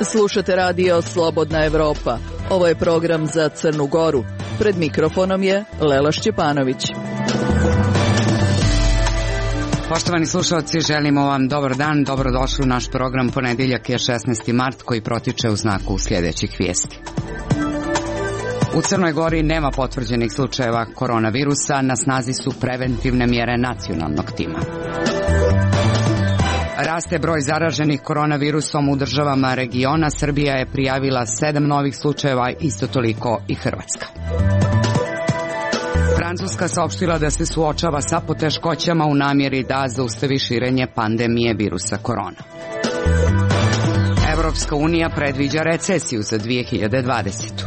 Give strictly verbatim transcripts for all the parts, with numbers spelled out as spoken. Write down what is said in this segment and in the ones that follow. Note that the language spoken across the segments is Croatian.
Slušate radio Slobodna Evropa. Ovo je program za Crnu Goru. Pred mikrofonom je Lela Šćepanović. Poštovani slušalci, želimo vam dobar dan, dobrodošli u naš program. Ponedeljak je šesnaesti mart koji protiče u znaku sljedećih vijesti. U Crnoj Gori nema potvrđenih slučajeva koronavirusa, na snazi su preventivne mjere nacionalnog tima. Raste broj zaraženih koronavirusom u državama regiona, Srbija je prijavila sedam novih slučajeva, isto toliko i Hrvatska. Francuska saopštila da se suočava sa poteškoćama u namjeri da zaustavi širenje pandemije virusa korona. Evropska unija predviđa recesiju za dvije hiljade dvadesetu.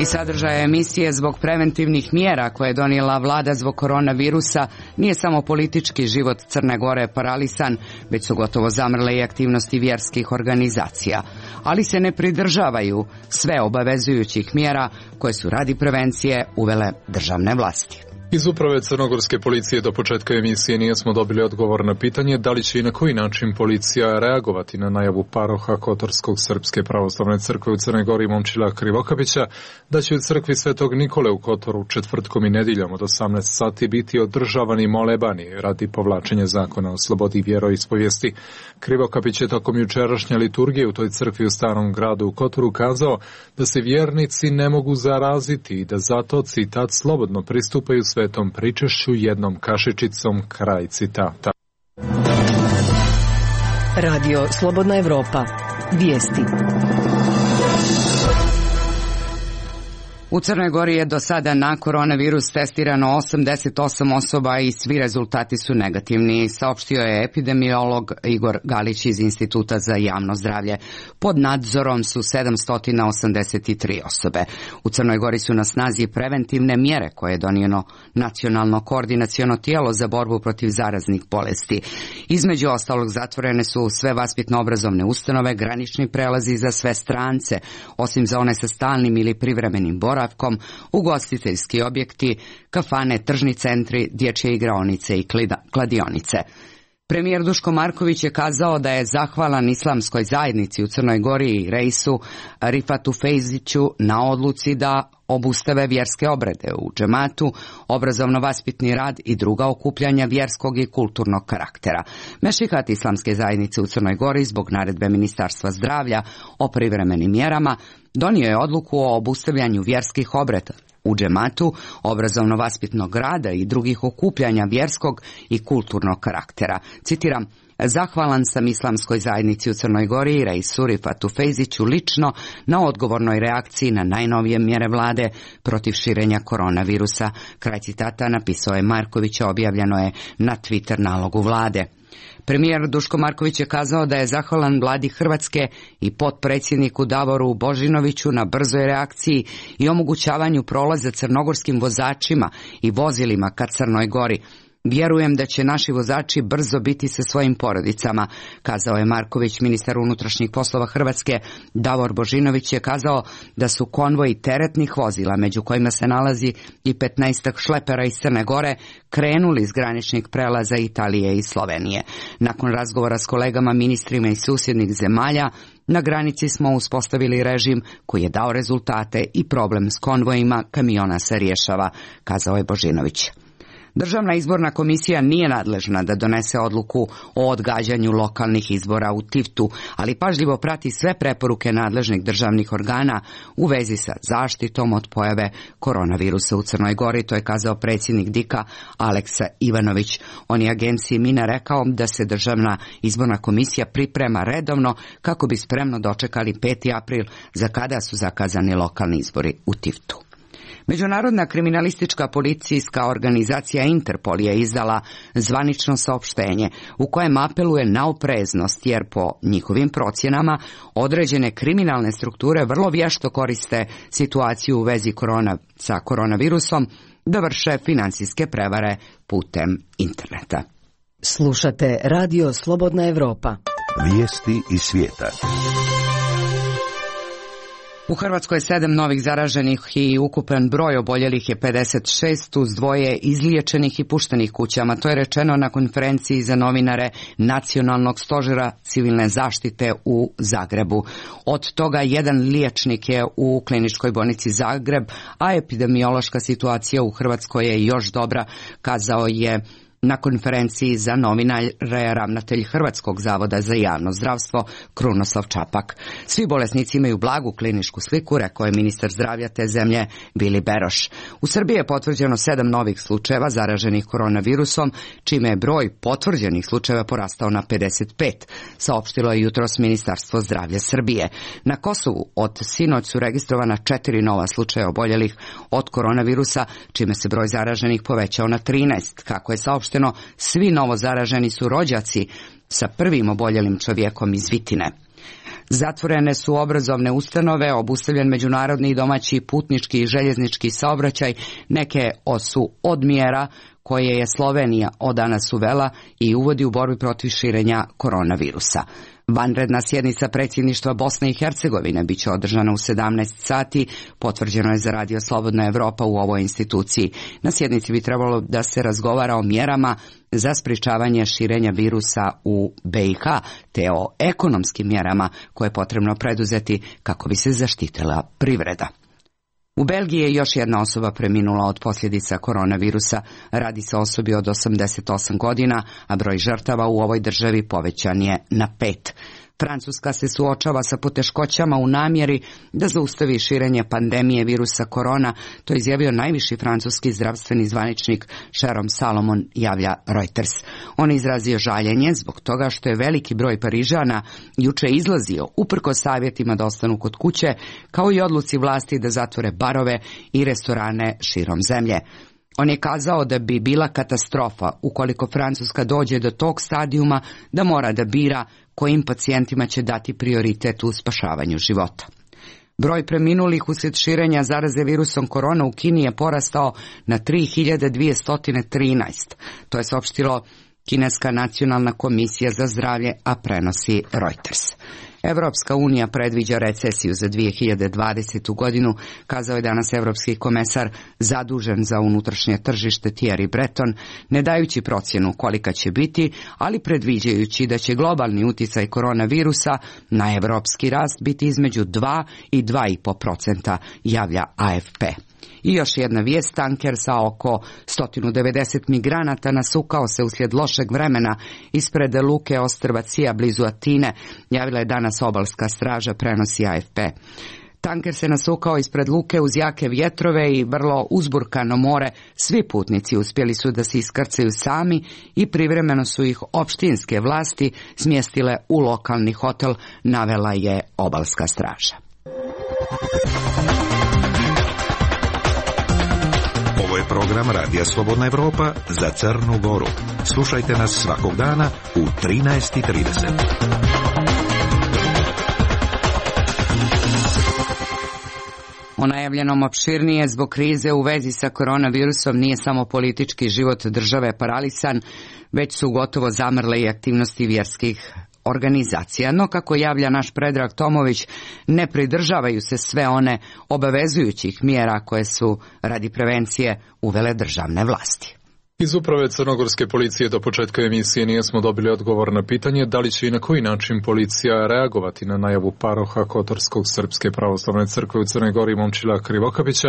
I sadržaja emisije zbog preventivnih mjera koje je donijela vlada zbog koronavirusa nije samo politički život Crne Gore paralisan, već su gotovo zamrle i aktivnosti vjerskih organizacija, ali se ne pridržavaju sve obavezujućih mjera koje su radi prevencije uvele državne vlasti. Iz uprave crnogorske policije do početka emisije nismo dobili odgovor na pitanje da li će i na koji način policija reagovati na najavu paroha Kotorskog Srpske pravoslavne crkve u Crnoj Gori Momčila Krivokapića da će u crkvi Svetog Nikole u Kotoru četvrtkom i nedjeljom od osamnaest sati biti održavani molebani radi povlačenja zakona o slobodi vjeroispovijesti. Krivokapić je tokom jučerašnje liturgije u toj crkvi u Starom gradu u Kotoru kazao da se vjernici ne mogu zaraziti i da zato, citat, slobodno pristupaju svetom pričešću jednom kašičicom, kraj citata. Radio Slobodna Evropa. Vijesti. U Crnoj Gori je do sada na koronavirus testirano osamdeset osam osoba i svi rezultati su negativni, saopštio je epidemiolog Igor Galić iz Instituta za javno zdravlje. Pod nadzorom su sedamsto osamdeset tri osobe. U Crnoj Gori su na snazi preventivne mjere koje je donijelo nacionalno koordinaciono tijelo za borbu protiv zaraznih bolesti. Između ostalog zatvorene su sve vaspitno-obrazovne ustanove, granični prelazi za sve strance, osim za one sa stalnim ili privremenim boravkom, ugostiteljski objekti, kafane, tržni centri, dječje igraonice i kladionice. Premijer Duško Marković je kazao da je zahvalan islamskoj zajednici u Crnoj Gori i reisu Rifatu Fejziću na odluci da obustave vjerske obrede u džematu, obrazovno-vaspitni rad i druga okupljanja vjerskog i kulturnog karaktera. Mešihat islamske zajednice u Crnoj Gori zbog naredbe Ministarstva zdravlja o privremenim mjerama donio je odluku o obustavljanju vjerskih obreda u džematu, obrazovno-vaspitnog rada i drugih okupljanja vjerskog i kulturnog karaktera. Citiram: zahvalan sam islamskoj zajednici u Crnoj Gori i reisu Rifatu Fejziću lično na odgovornoj reakciji na najnovije mjere vlade protiv širenja koronavirusa. Kraj citata napisao je Marković, objavljeno je na Twitter nalogu vlade. Premijer Duško Marković je kazao da je zahvalan vladi Hrvatske i potpredsjedniku Davoru Božinoviću na brzoj reakciji i omogućavanju prolaza crnogorskim vozačima i vozilima ka Crnoj Gori. Vjerujem da će naši vozači brzo biti sa svojim porodicama, kazao je Marković. Ministar unutrašnjih poslova Hrvatske Davor Božinović je kazao da su konvoji teretnih vozila, među kojima se nalazi i petnaestak šlepera iz Crne Gore, krenuli iz graničnih prelaza Italije i Slovenije. Nakon razgovora s kolegama ministrima iz susjednih zemalja, na granici smo uspostavili režim koji je dao rezultate i problem s konvojima kamiona se rješava, kazao je Božinović. Državna izborna komisija nije nadležna da donese odluku o odgađanju lokalnih izbora u Tivtu, ali pažljivo prati sve preporuke nadležnih državnih organa u vezi sa zaštitom od pojave koronavirusa u Crnoj Gori, to je kazao predsjednik Dika Aleksa Ivanović. On je agenciji Mina rekao da se Državna izborna komisija priprema redovno kako bi spremno dočekali peti april, za kada su zakazani lokalni izbori u Tivtu. Međunarodna kriminalistička policijska organizacija Interpol je izdala zvanično saopštenje u kojem apeluje na opreznost, jer po njihovim procjenama određene kriminalne strukture vrlo vješto koriste situaciju u vezi korona, sa koronavirusom da vrše financijske prevare putem interneta. Slušate Radio Slobodna Evropa. Vijesti iz svijeta. U Hrvatskoj je sedam novih zaraženih i ukupan broj oboljelih je pedeset šest, uz dvoje izliječenih i puštenih kućama. To je rečeno na konferenciji za novinare Nacionalnog stožera civilne zaštite u Zagrebu. Od toga jedan liječnik je u kliničkoj bolnici Zagreb, a epidemiološka situacija u Hrvatskoj je još dobra, kazao je na konferenciji za novinare ravnatelj Hrvatskog zavoda za javno zdravstvo Krunoslav Čapak. Svi bolesnici imaju blagu kliničku sliku, rekao je ministar zdravlja te zemlje Vili Beroš. U Srbiji je potvrđeno sedam novih slučajeva zaraženih koronavirusom, čime je broj potvrđenih slučajeva porastao na pedeset pet, saopštilo je jutros Ministarstvo zdravlja Srbije. Na Kosovu od sinoć su registrovana četiri nova slučaja oboljelih od koronavirusa, čime se broj zaraženih povećao na trinaest. Kako je saopšteno, svi novo zaraženi su rođaci sa prvim oboljelim čovjekom iz Vitine. Zatvorene su obrazovne ustanove, obustavljen međunarodni i domaći putnički i željeznički saobraćaj, neke su od mjera koje je Slovenija od danas uvela i uvodi u borbi protiv širenja koronavirusa. Vanredna sjednica predsjedništva Bosne i Hercegovine bit će održana u sedamnaest sati, potvrđeno je za Radio Slobodna Evropa u ovoj instituciji. Na sjednici bi trebalo da se razgovara o mjerama za sprječavanje širenja virusa u B i H, te o ekonomskim mjerama koje je potrebno preduzeti kako bi se zaštitila privreda. U Belgiji je još jedna osoba preminula od posljedica koronavirusa. Radi se o osobi od osamdeset osam godina, a broj žrtava u ovoj državi povećan je na pet. Francuska se suočava sa poteškoćama u namjeri da zaustavi širenje pandemije virusa korona, to je izjavio najviši francuski zdravstveni zvaničnik Jérôme Salomon, javlja Reuters. On je izrazio žaljenje zbog toga što je veliki broj Parižana juče izlazio uprkos savjetima da ostanu kod kuće, kao i odluci vlasti da zatvore barove i restorane širom zemlje. On je kazao da bi bila katastrofa ukoliko Francuska dođe do tog stadijuma da mora da bira kojim pacijentima će dati prioritet u spašavanju života. Broj preminulih uslijed širenja zaraze virusom korona u Kini je porastao na tri hiljade dvjesto trinaest. To je saopštilo Kineska nacionalna komisija za zdravlje, a prenosi Reuters. Evropska unija predviđa recesiju za dvije hiljade dvadesetu godinu, kazao je danas evropski komesar zadužen za unutrašnje tržište Thierry Breton, ne dajući procjenu kolika će biti, ali predviđajući da će globalni utjecaj koronavirusa na evropski rast biti između dva i dva i po posto, javlja A F P. I još jedna vijest, tanker sa oko sto devedeset migranata nasukao se uslijed lošeg vremena ispred luke ostrva Cija blizu Atine, javila je danas obalska straža, prenosi A F P. Tanker se nasukao ispred luke uz jake vjetrove i vrlo uzburkano more. Svi putnici uspjeli su da se iskrcaju sami i privremeno su ih opštinske vlasti smjestile u lokalni hotel, navela je obalska straža. Ovo je program Radija Slobodna Evropa za Crnu Goru. Slušajte nas svakog dana u trinaest i trideset. O najavljenom opširnije zbog krize u vezi sa koronavirusom nije samo politički život države paralisan, već su gotovo zamrle i aktivnosti vjerskih organizacija. No, kako javlja naš Predrag Tomović, ne pridržavaju se sve one obavezujućih mjera koje su radi prevencije uvele državne vlasti. Iz uprave crnogorske policije do početka emisije nismo dobili odgovor na pitanje da li će i na koji način policija reagovati na najavu paroha Kotorskog Srpske pravoslavne crkve u Crnoj Gori Momčila Krivokapića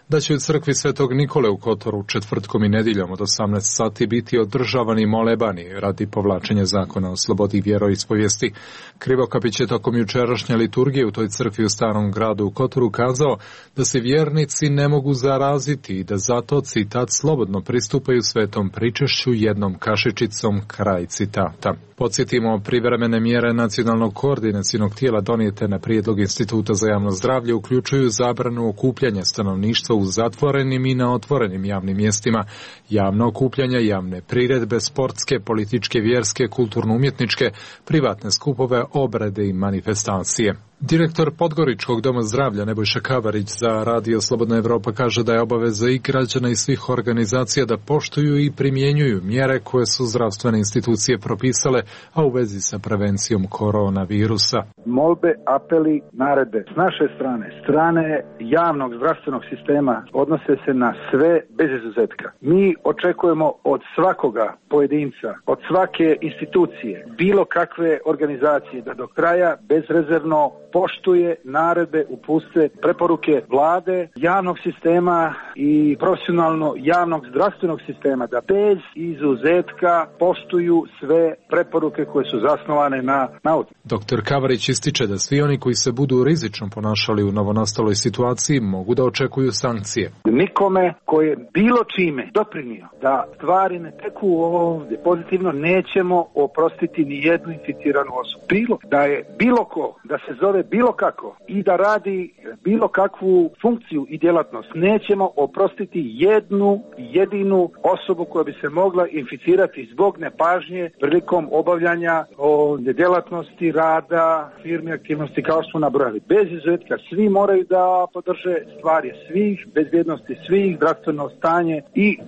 da će u crkvi Svetog Nikole u Kotoru četvrtkom i nedjeljom od osamnaest sati biti održavani molebani radi povlačenja zakona o slobodi vjeroispovijesti. Krivokapić je tokom jučerašnje liturgije u toj crkvi u Starom gradu u Kotoru kazao da se vjernici ne mogu zaraziti i da zato, citat, slobodno pristupaju svetom pričešću jednom kašičicom, kraj citata. Podsjetimo, privremene mjere nacionalnog koordinacijnog tijela donijete na prijedlog Instituta za javno zdravlje uključuju zabranu okupljanja stanovništva u zatvorenim i na otvorenim javnim mjestima, javno okupljanja, javne priredbe, sportske, političke, vjerske, kulturno-umjetničke, privatne skupove, obrede i manifestacije. Direktor Podgoričkog doma zdravlja Nebojša Kavarić za Radio Slobodna Evropa kaže da je obaveza i građana i svih organizacija da poštuju i primjenjuju mjere koje su zdravstvene institucije propisale, a u vezi sa prevencijom koronavirusa. Molbe, apeli, naredbe s naše strane, strane javnog zdravstvenog sistema odnose se na sve bez izuzetka. Mi očekujemo od svakoga pojedinca, od svake institucije, bilo kakve organizacije da do kraja bezrezervno poštuje naredbe, uputstva, preporuke vlade, javnog sistema i profesionalno javnog zdravstvenog sistema, da bez izuzetka poštuju sve preporuke koje su zasnovane na nauci. Doktor Kavarić ističe da svi oni koji se budu rizično ponašali u novonastaloj situaciji mogu da očekuju sankcije. Nikome koji je bilo čime doprinio da stvari ne teku ovdje pozitivno, nećemo oprostiti ni jednu inficiranu osobu. Bilo da je bilo ko, da se zove bilo kako i da radi bilo kakvu funkciju i djelatnost, nećemo oprostiti jednu jedinu osobu koja bi se mogla inficirati zbog nepažnje prilikom obavljanja o djelatnosti, rada, firme, aktivnosti kao što smo nabrojali. Bez izuzetka svi moraju da podrže stvari svih, bezbjednosti svih, zdravstveno stanje i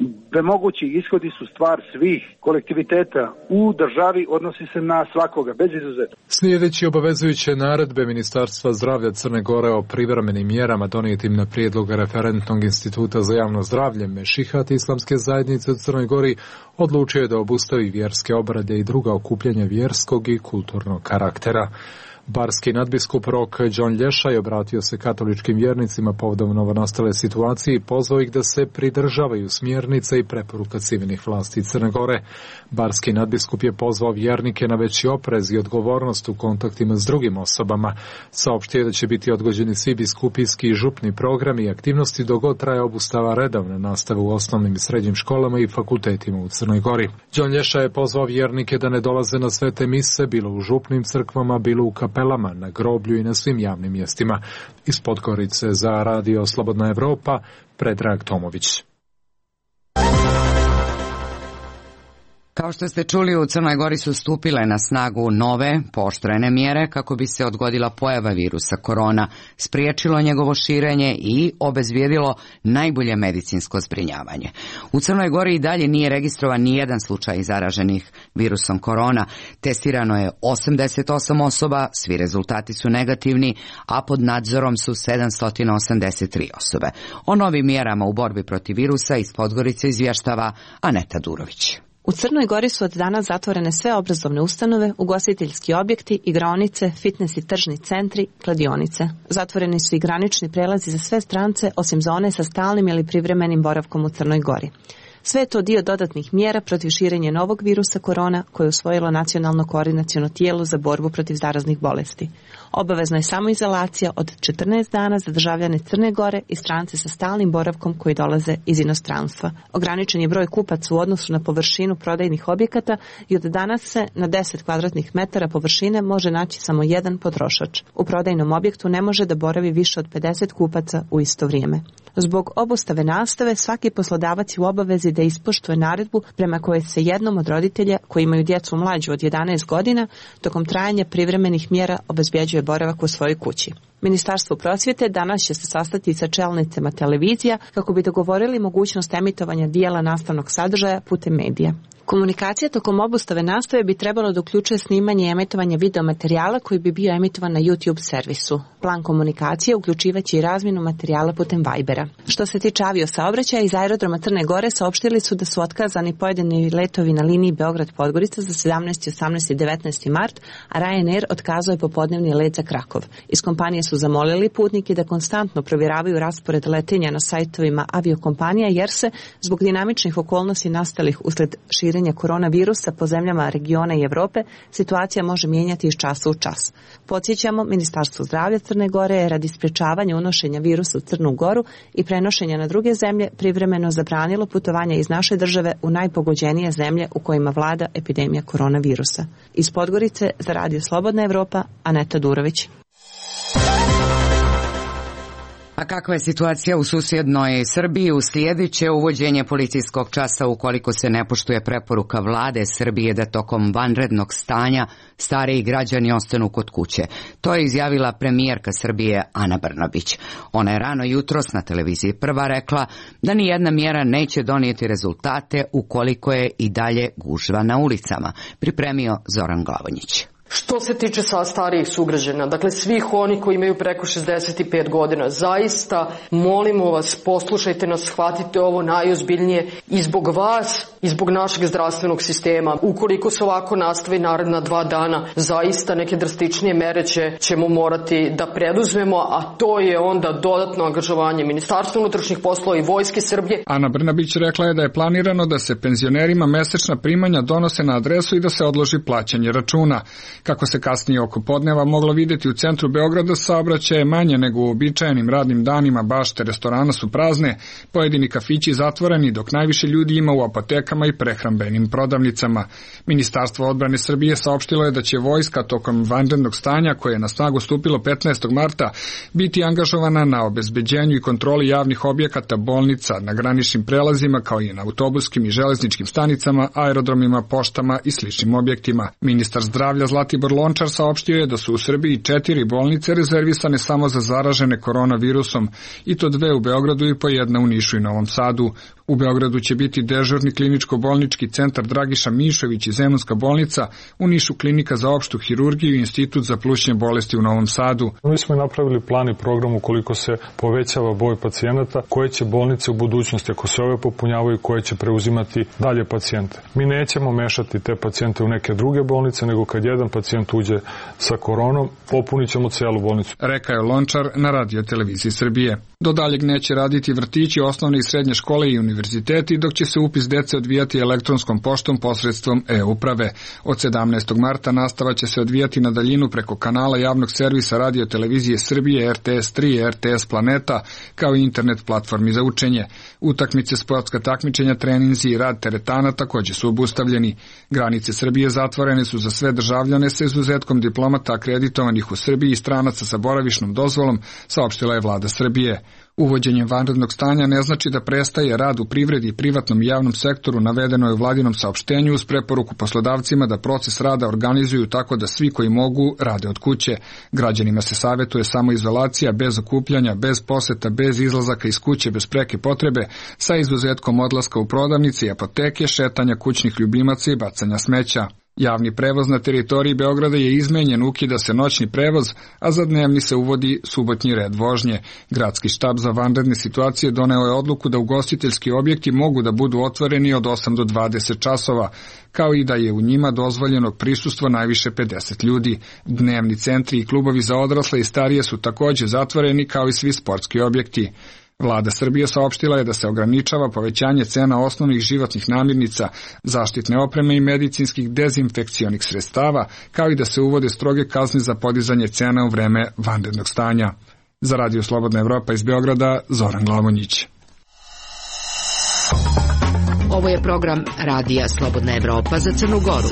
mogući ishodi su stvar svih kolektiviteta u državi, odnosi se na svakoga, bez izuzetka. Slijedeći obavezujuće naredbe Ministarstva zdravlja Crne Gore o privremenim mjerama donijetim na prijedlog Referentnog instituta za javno zdravlje Mešihat Islamske zajednice u Crnoj Gori odlučio je da obustavi vjerske obrede i druga okupljanja vjerskog i kulturnog karaktera. Barski nadbiskup Rok John Lješaj obratio se katoličkim vjernicima povodom novonastale situacije i pozvao ih da se pridržavaju smjernica i preporuka civilnih vlasti Crne Gore. Barski nadbiskup je pozvao vjernike na veći oprez i odgovornost u kontaktima s drugim osobama. Saopštio je da će biti odgođeni svi biskupijski i župni programi i aktivnosti dok god traje obustava redovne nastave u osnovnim i srednjim školama i fakultetima u Crnoj Gori. John Lješaj je pozvao vjernike da ne dolaze na svete mise, bilo u župnim crkvama, bilo u kapelama, na groblju i na svim javnim mjestima. Iz Podgorice za Radio Slobodna Evropa, Predrag Tomović. Kao što ste čuli, u Crnoj Gori su stupile na snagu nove, pooštrene mjere kako bi se odgodila pojava virusa korona, spriječilo njegovo širenje i obezbijedilo najbolje medicinsko zbrinjavanje. U Crnoj Gori i dalje nije registrovan ni jedan slučaj zaraženih virusom korona. Testirano je osamdeset osam osoba, svi rezultati su negativni, a pod nadzorom su sedamsto osamdeset tri osobe. O novim mjerama u borbi protiv virusa iz Podgorice izvještava Aneta Durović. U Crnoj Gori su od danas zatvorene sve obrazovne ustanove, ugostiteljski objekti, igraonice, fitness i tržni centri, kladionice. Zatvoreni su i granični prelazi za sve strance, osim za one sa stalnim ili privremenim boravkom u Crnoj Gori. Sve je to dio dodatnih mjera protiv širenja novog virusa korona koje je usvojilo Nacionalno koordinaciono tijelo za borbu protiv zaraznih bolesti. Obavezna je samoizolacija od četrnaest dana za državljane Crne Gore i strance sa stalnim boravkom koji dolaze iz inostranstva. Ograničen je broj kupaca u odnosu na površinu prodajnih objekata i od danas se na deset kvadratnih metara površine može naći samo jedan potrošač. U prodajnom objektu ne može da boravi više od pedeset kupaca u isto vrijeme. Zbog obustave nastave svaki poslodavac je u obavezi da ispoštuje naredbu prema kojoj se jednom od roditelja koji imaju djecu mlađu od jedanaest godina tokom trajanja privremenih mjera obezbjeđuje boravak u svojoj kući. Ministarstvo prosvjete danas će se sastati sa čelnicima televizija kako bi dogovorili mogućnost emitovanja dijela nastavnog sadržaja putem medija. Komunikacija tokom obustave nastave bi trebalo da uključuje snimanje i emitovanje videomaterijala koji bi bio emitovan na YouTube servisu. Plan komunikacije uključivaće i razmjenu materijala putem Vibera. Što se tiče aviosaobraćaja, iz aerodroma Crne Gore saopštili su da su otkazani pojedini letovi na liniji Beograd-Podgorica za sedamnaesti, osamnaesti i devetnaesti mart, a Ryanair otkazao je popodnevni let za Krakov. Iz kompanije su zamolili putnike da konstantno provjeravaju raspored letenja na sajtovima aviokompanija jer se, zbog dinamičnih okolnosti nastalih usled širenja koronavirusa po zemljama regiona i Evrope, situacija može mijenjati iz časa u čas. Podsjećamo, Ministarstvo zdravlja Crne Gore je radi sprječavanja unošenja virusa u Crnu Goru i prenošenja na druge zemlje privremeno zabranilo putovanja iz naše države u najpogođenije zemlje u kojima vlada epidemija koronavirusa. Iz Podgorice za Radio Slobodna Evropa, Aneta Durović. A kakva je situacija u susjednoj Srbiji? Uslijedit će uvođenje policijskog časa ukoliko se ne poštuje preporuka vlade Srbije da tokom vanrednog stanja stariji građani ostanu kod kuće. To je izjavila premijerka Srbije Ana Brnabić. Ona je rano jutros na televiziji Prva rekla da ni jedna mjera neće donijeti rezultate ukoliko je i dalje gužva na ulicama. Pripremio Zoran Glavonjić. Što se tiče sa starijih sugrađana, dakle svih oni koji imaju preko šezdeset pet godina, zaista molimo vas, poslušajte nas, shvatite ovo najozbiljnije i zbog vas i zbog našeg zdravstvenog sistema. Ukoliko se ovako nastavi naredna dva dana, zaista neke drastičnije mere će, ćemo morati da preduzmemo, a to je onda dodatno angažovanje Ministarstva unutrašnjih poslova i Vojske Srbije. Ana Brnabić rekla je da je planirano da se penzionerima mesečna primanja donose na adresu i da se odloži plaćanje računa. Kako se kasnije oko podneva moglo vidjeti u centru Beograda, saobraćaj je manje nego u uobičajenim radnim danima, bašte restorana su prazne, pojedini kafići zatvoreni, dok najviše ljudi ima u apotekama i prehrambenim prodavnicama. Ministarstvo odbrane Srbije saopštilo je da će vojska tokom vanrednog stanja, koje je na snagu stupilo petnaestog marta, biti angažovana na obezbeđenju i kontroli javnih objekata, bolnica, na graničnim prelazima, kao i na autobuskim i železničkim stanicama, aerodromima, poštama i sličnim objektima. Ministar zdravlja Zlatibor Lončar saopštio je da su u Srbiji četiri bolnice rezervisane samo za zaražene koronavirusom, i to dve u Beogradu i po jedna u Nišu i Novom Sadu. U Beogradu će biti dežurni kliničko-bolnički centar Dragiša Mišović i Zemunska bolnica, u Nišu klinika za opštu hirurgiju i institut za plućne bolesti u Novom Sadu. Mi smo napravili plan i program ukoliko se povećava broj pacijenata, koje će bolnice u budućnosti, ako se ove popunjavaju, koje će preuzimati dalje pacijente. Mi nećemo mešati te pacijente u neke druge bolnice, nego kad jedan pacijent uđe sa koronom, popunit ćemo celu bolnicu. Rekao je Lončar na radio televiziji Srbije. Do daljeg neće raditi vrtići, osnovne i srednje škole i univerziteti, dok će se upis dece odvijati elektronskom poštom posredstvom e-uprave. Od sedamnaestog marta nastava će se odvijati na daljinu preko kanala javnog servisa radio televizije Srbije, R T S tri, R T S Planeta, kao i internet platformi za učenje. Utakmice, sportska takmičenja, treninzi i rad teretana također su obustavljeni. Granice Srbije zatvorene su za sve državljane sa izuzetkom diplomata akreditovanih u Srbiji i stranaca sa boravišnom dozvolom, saopštila je vlada Srbije. Uvođenjem vanrednog stanja ne znači da prestaje rad u privredi i privatnom i javnom sektoru, navedeno je u vladinom saopštenju uz preporuku poslodavcima da proces rada organizuju tako da svi koji mogu rade od kuće. Građanima se savjetuje samoizolacija bez okupljanja, bez poseta, bez izlazaka iz kuće, bez preke potrebe, sa izuzetkom odlaska u prodavnice i apoteke, šetanja kućnih ljubimaca i bacanja smeća. Javni prevoz na teritoriji Beograda je izmenjen, ukida se noćni prevoz, a za dnevni se uvodi subotnji red vožnje. Gradski štab za vanredne situacije doneo je odluku da ugostiteljski objekti mogu da budu otvoreni od osam do dvadeset časova, kao i da je u njima dozvoljeno prisustvo najviše pedeset ljudi. Dnevni centri i klubovi za odrasle i starije su također zatvoreni, kao i svi sportski objekti. Vlada Srbije saopštila je da se ograničava povećanje cena osnovnih životnih namirnica, zaštitne opreme i medicinskih dezinfekcionih sredstava, kao i da se uvode stroge kazne za podizanje cena u vreme vanrednog stanja. Za Radio Slobodna Evropa iz Beograda, Zoran Glavonjić. Ovo je program Radija Slobodna Evropa za Crnu Goru.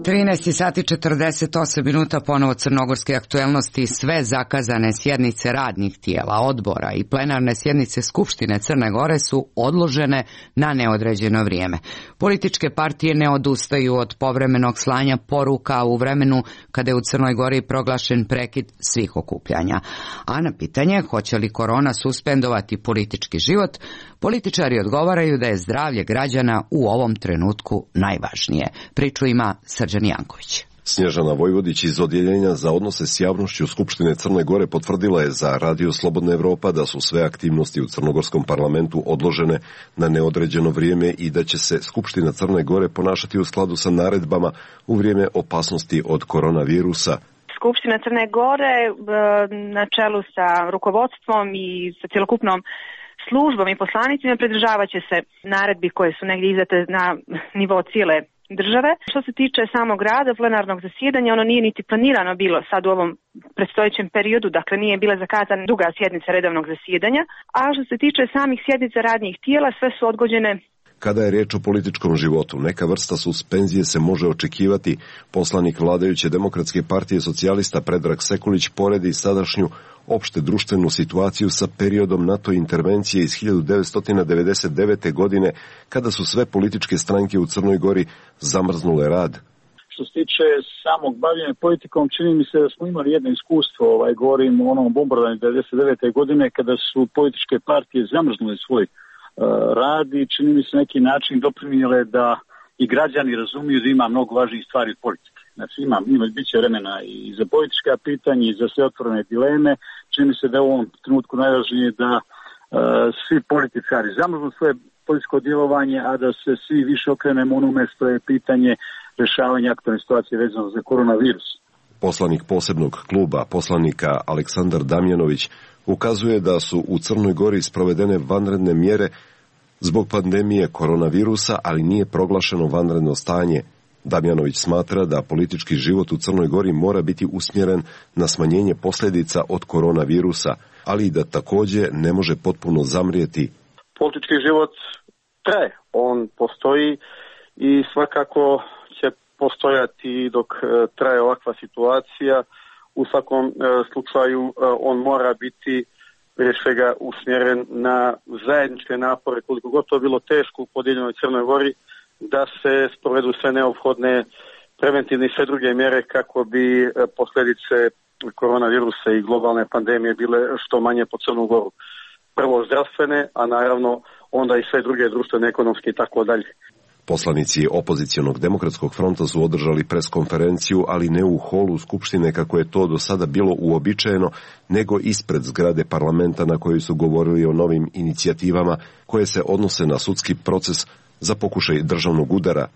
trinaest sati četrdeset osam minuta, ponovo crnogorske aktuelnosti. Sve zakazane sjednice radnih tijela, odbora i plenarne sjednice Skupštine Crne Gore su odložene na neodređeno vrijeme. Političke partije ne odustaju od povremenog slanja poruka u vremenu kada je u Crnoj Gori proglašen prekid svih okupljanja. A na pitanje hoće li korona suspendovati politički život, političari odgovaraju da je zdravlje građana u ovom trenutku najvažnije. Priču ima Srđan Janković. Snježana Vojvodić iz Odjeljenja za odnose s javnošću Skupštine Crne Gore potvrdila je za Radio Slobodna Evropa da su sve aktivnosti u crnogorskom parlamentu odložene na neodređeno vrijeme i da će se Skupština Crne Gore ponašati u skladu sa naredbama u vrijeme opasnosti od koronavirusa. Skupština Crne Gore na čelu sa rukovodstvom i sa cjelokupnom službom i poslanicima pridržavat će se naredbi koje su negdje izdate na nivou cijele države. Što se tiče samog rada plenarnog zasjedanja, ono nije niti planirano bilo sad u ovom predstojećem periodu, dakle nije bila zakazana duga sjednica redovnog zasjedanja, a što se tiče samih sjednica radnih tijela, sve su odgođene Kada je riječ o političkom životu, neka vrsta suspenzije se može očekivati. Poslanik vladajuće Demokratske partije socijalista Predrag Sekulić poredi sadašnju opšte društvenu situaciju sa periodom NATO intervencije iz hiljadu devetsto devedeset devete. godine, kada su sve političke stranke u Crnoj Gori zamrznule rad. Što se tiče samog bavljenja politikom, čini mi se da smo imali jedno iskustvo, ovaj, govorim o onom bombardovanju devedeset devete. godine, kada su političke partije zamrznule svoj uh, rad i čini mi se neki način doprinijele da i građani razumiju da ima mnogo važnijih stvari od politike. Znači ima, ima bit će vremena i za politička pitanja i za sve otvorene dileme. Čini mi se da je u ovom trenutku najvažnije da uh, svi političari zamrznu svoje političko djelovanje, a da se svi više okrenemo onome što je pitanje rješavanja aktualne situacije vezano za koronavirus. Poslanik posebnog kluba, poslanika Aleksandar Damjanović, ukazuje da su u Crnoj Gori sprovedene vanredne mjere zbog pandemije koronavirusa, ali nije proglašeno vanredno stanje. Damjanović smatra da politički život u Crnoj Gori mora biti usmjeren na smanjenje posljedica od koronavirusa, ali i da također ne može potpuno zamrijeti. Politički život traje, on postoji i svakako će postojati dok traje ovakva situacija. U svakom slučaju on mora biti prije svega usmjeren na zajedničke napore, koliko god to bilo teško u podijeljenoj Crnoj Gori, da se sprovedu sve neophodne preventivne i sve druge mjere kako bi posljedice koronavirusa i globalne pandemije bile što manje po Crnu Goru. Prvo zdravstvene, a naravno onda i sve druge društvene, ekonomske i tako dalje. Poslanici opozicionog Demokratskog fronta su održali preskonferenciju, ali ne u holu Skupštine kako je to do sada bilo uobičajeno, nego ispred zgrade parlamenta na kojoj su govorili o novim inicijativama koje se odnose na sudski proces za pokušaj državnog udara.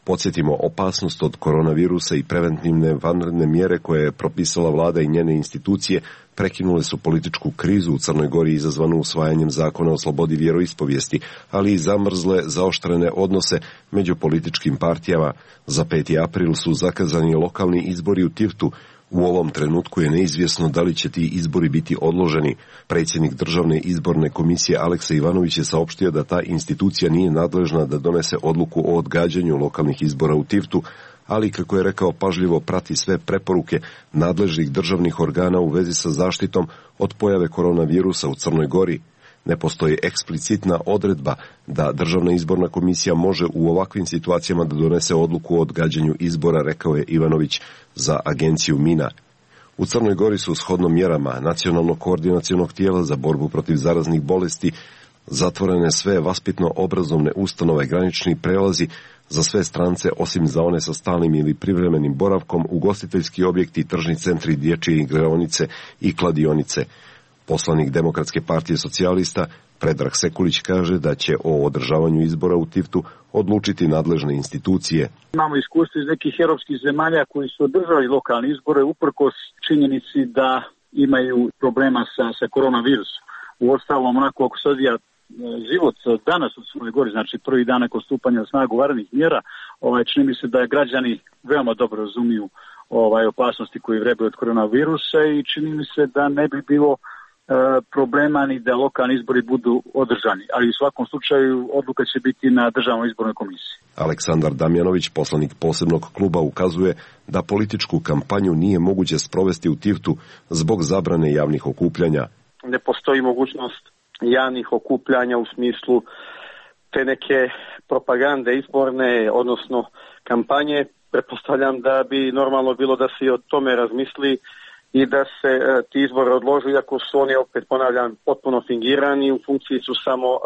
Podsjetimo, opasnost od koronavirusa i preventivne vanredne mjere koje je propisala vlada i njene institucije prekinule su političku krizu u Crnoj Gori izazvanu usvajanjem zakona o slobodi vjeroispovijesti, ali i zamrzle zaoštrene odnose među političkim partijama. Za peti april su zakazani lokalni izbori u Tivtu. U ovom trenutku je neizvjesno da li će ti izbori biti odloženi. Predsjednik Državne izborne komisije Aleksa Ivanović je saopštio da ta institucija nije nadležna da donese odluku o odgađanju lokalnih izbora u Tivtu, ali kako je rekao pažljivo prati sve preporuke nadležnih državnih organa u vezi sa zaštitom od pojave koronavirusa u Crnoj Gori. Ne postoji eksplicitna odredba da Državna izborna komisija može u ovakvim situacijama da donese odluku o odgađanju izbora, rekao je Ivanović za agenciju Mina. U Crnoj Gori su shodno mjerama Nacionalnog koordinacionog tijela za borbu protiv zaraznih bolesti zatvorene sve vaspitno-obrazovne ustanove, granični prelazi za sve strance osim za one sa stalnim ili privremenim boravkom, ugostiteljski objekti, tržni centri, dječje igraonice i kladionice. Poslanik Demokratske partije socijalista Predrag Sekulić kaže da će o održavanju izbora u Tivtu odlučiti nadležne institucije. Imamo iskustvo iz nekih europskih zemalja koji su održali lokalne izbore uprkos činjenici da imaju problema sa, sa koronavirusom. U ostalom, onako ako se odvija život danas u Crnoj Gori, znači prvi dan nakon stupanja na snagu vanrednih mjera, ovaj, čini mi se da građani veoma dobro razumiju ovaj, opasnosti koji vrebaju od koronavirusa i čini mi se da ne bi bilo problema ni da lokalni izbori budu održani, ali u svakom slučaju odluka će biti na Državnoj izbornoj komisiji. Aleksandar Damjanović, poslanik posebnog kluba, ukazuje da političku kampanju nije moguće sprovesti u Tivtu zbog zabrane javnih okupljanja. Ne postoji mogućnost javnih okupljanja u smislu te neke propagande izborne, odnosno kampanje. Pretpostavljam da bi normalno bilo da se i o tome razmisli i da se e, ti izbori odložu, iako su oni, opet ponavljam, potpuno fingirani, u funkciji su samo e,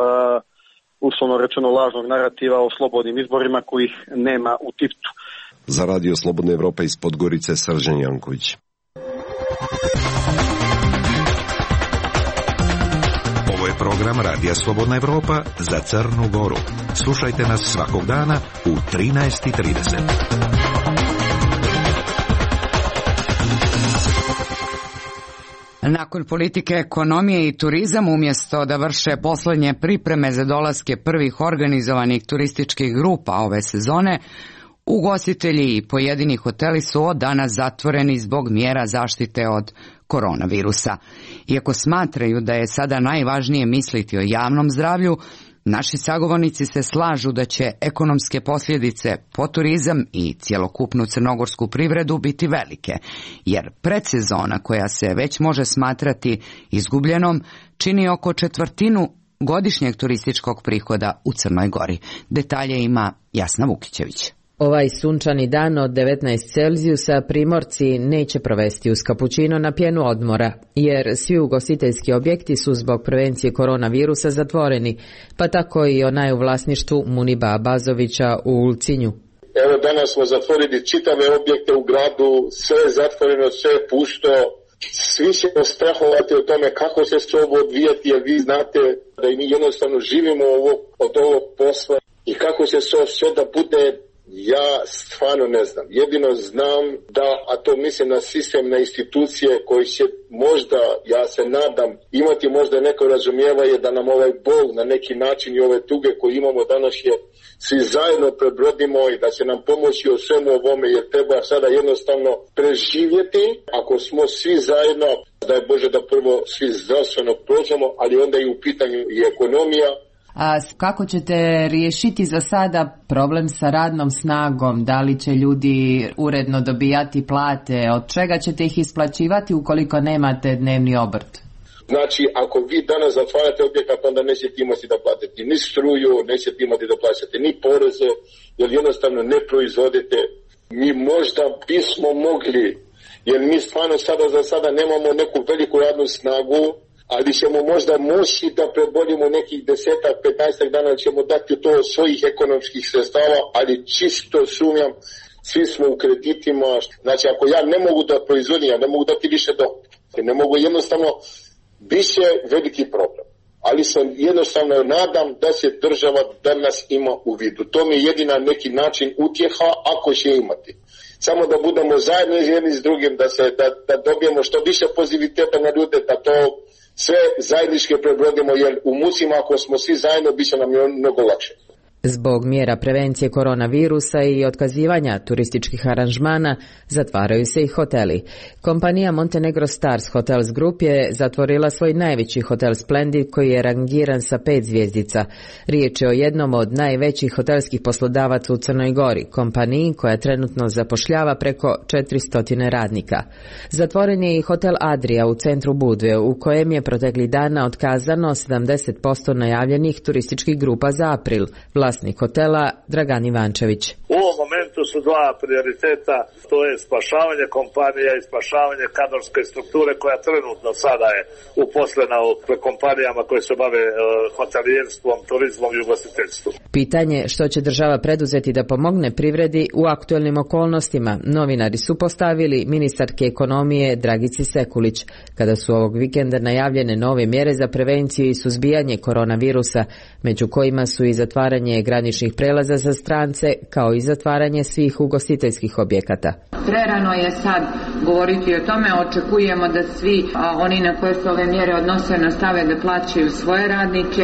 uslovno rečeno lažnog narativa o slobodnim izborima kojih nema u Tivtu. Za Radio Slobodna Evropa iz Podgorice, Srđan Janković. Ovo je program Radija Slobodna Evropa za Crnu Goru. Slušajte nas svakog dana u trinaest i trideset. Nakon politike, ekonomije i turizam, umjesto da vrše poslednje pripreme za dolaske prvih organizovanih turističkih grupa ove sezone, ugostitelji i pojedini hoteli su od danas zatvoreni zbog mjera zaštite od koronavirusa. Iako smatraju da je sada najvažnije misliti o javnom zdravlju, Naši sagovornici se slažu da će ekonomske posljedice po turizam i cjelokupnu crnogorsku privredu biti velike, jer predsezona koja se već može smatrati izgubljenom čini oko četvrtinu godišnjeg turističkog prihoda u Crnoj Gori. Detalje ima Jasna Vukićević. Ovaj sunčani dan od devetnaest Celzijusa primorci neće provesti uz kapućino na pjenu odmora, jer svi ugostiteljski objekti su zbog prevencije koronavirusa zatvoreni, pa tako i onaj u vlasništvu Muniba Abazovića u Ulcinju. Evo danas smo zatvorili čitave objekte u gradu, sve je zatvoreno, sve je pušto. Svi ćemo strahovati o tome kako će se ovo odvijati, jer vi znate da i mi jednostavno živimo ovo, od ovog posla i kako će se sve da bude. Ja stvarno ne znam. Jedino znam da, a to mislim na sistem, na institucije koji će možda, ja se nadam, imati možda neko razumijevanje da nam ovaj bol na neki način i ove tuge koje imamo danas je svi zajedno prebrodimo i da će nam pomoći o svemu ovome, jer treba sada jednostavno preživjeti. Ako smo svi zajedno, da je Bože da prvo svi zdravstveno prođemo, ali onda i u pitanju i ekonomija. A kako ćete riješiti za sada problem sa radnom snagom? Da li će ljudi uredno dobijati plate? Od čega ćete ih isplaćivati ukoliko nemate dnevni obrt? Znači, ako vi danas zatvarate objekat, onda nećete imati da platite ni struju, nećete imati da plaćate ni poreze, jer jednostavno ne proizvodite. Mi možda bismo mogli, jer mi stvarno sada za sada nemamo neku veliku radnu snagu, ali ćemo možda moći da prebolimo nekih desetak, petnaestak dana, ćemo dati to od svojih ekonomskih sredstava, ali čisto sumnjam, svi smo u kreditima. Znači, ako ja ne mogu da proizvodim, ja ne mogu dati više dohotka, ne mogu jednostavno, bit će veliki problem. Ali sam jednostavno nadam da se država danas ima u vidu. To mi je jedina neki način utjeha, ako će imati. Samo da budemo zajedno jedni s drugim, da, se, da, da dobijemo što više pozitiviteta na ljude, da to sve zajednički prebrodimo, jer u mucima ako smo svi zajedno, bit će nam mnogo lakše. Zbog mjera prevencije koronavirusa i otkazivanja turističkih aranžmana zatvaraju se i hoteli. Kompanija Montenegro Stars Hotels Group je zatvorila svoj najveći hotel Splendid koji je rangiran sa pet zvjezdica. Riječ je o jednom od najvećih hotelskih poslodavaca u Crnoj Gori, kompaniji koja trenutno zapošljava preko četiristo radnika. Zatvoren je i hotel Adria u centru Budve, u kojem je protekli dana otkazano sedamdeset posto najavljenih turističkih grupa za april. Vlasnik hotela Dragan Ivančević. U ovom momentu su dva prioriteta, to je spašavanje kompanija i spašavanje kadrovske strukture koja trenutno sada je uposlena u kompanijama koje se bave uh, hotelijerstvom, turizmom i ugostiteljstvom. Pitanje što će država preduzeti da pomogne privredi u aktualnim okolnostima novinari su postavili ministarke ekonomije Dragici Sekulić, kada su ovog vikenda najavljene nove mjere za prevenciju i suzbijanje koronavirusa, među kojima su i zatvaranje graničnih prelaza za strance, kao i zatvaranje svih ugostiteljskih objekata. Prerano je sad govoriti o tome, očekujemo da svi a, oni na koje se ove mjere odnose nastave da plaćaju svoje radnike,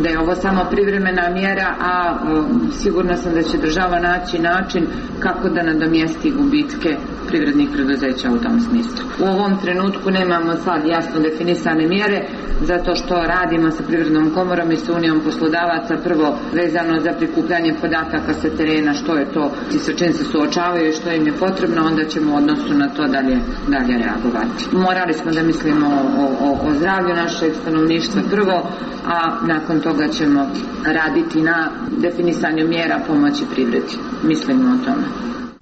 da je ovo samo privremena mjera, a, a sigurna sam da će država naći način kako da nadomjesti gubitke privrednih preduzeća u tom smislu. U ovom trenutku nemamo sad jasno definisane mjere, zato što radimo sa Privrednom komorom i sa Unijom poslodavaca, prvo vezano za prikupljanje podataka sa terena, što je to i sa čim se suočavaju i što im je potrebno, onda ćemo u odnosu na to dalje, dalje reagovati. Morali smo da mislimo o, o, o zdravlju našeg stanovništva prvo, a nakon toga ćemo raditi na definisanju mjera pomoći privredi. Mislimo o tome.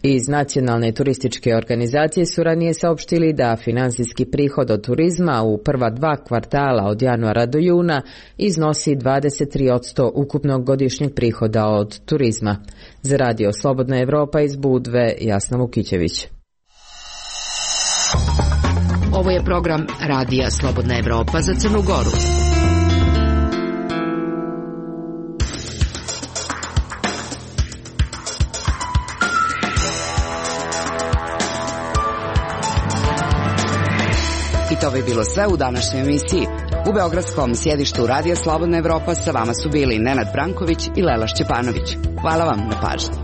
Iz Nacionalne turističke organizacije su ranije saopštili da financijski prihod od turizma u prva dva kvartala od januara do juna iznosi dvadeset tri posto ukupnog godišnjeg prihoda od turizma. Za Radio Slobodna Evropa iz Budve, Jasna Vukićević. Ovo je program Radija Slobodna Evropa za Crnu Goru. I to bi bilo sve u današnjoj emisiji. U beogradskom sjedištu Radija Slobodna Evropa sa vama su bili Nenad Branković i Lela Šćepanović. Hvala vam na pažnji.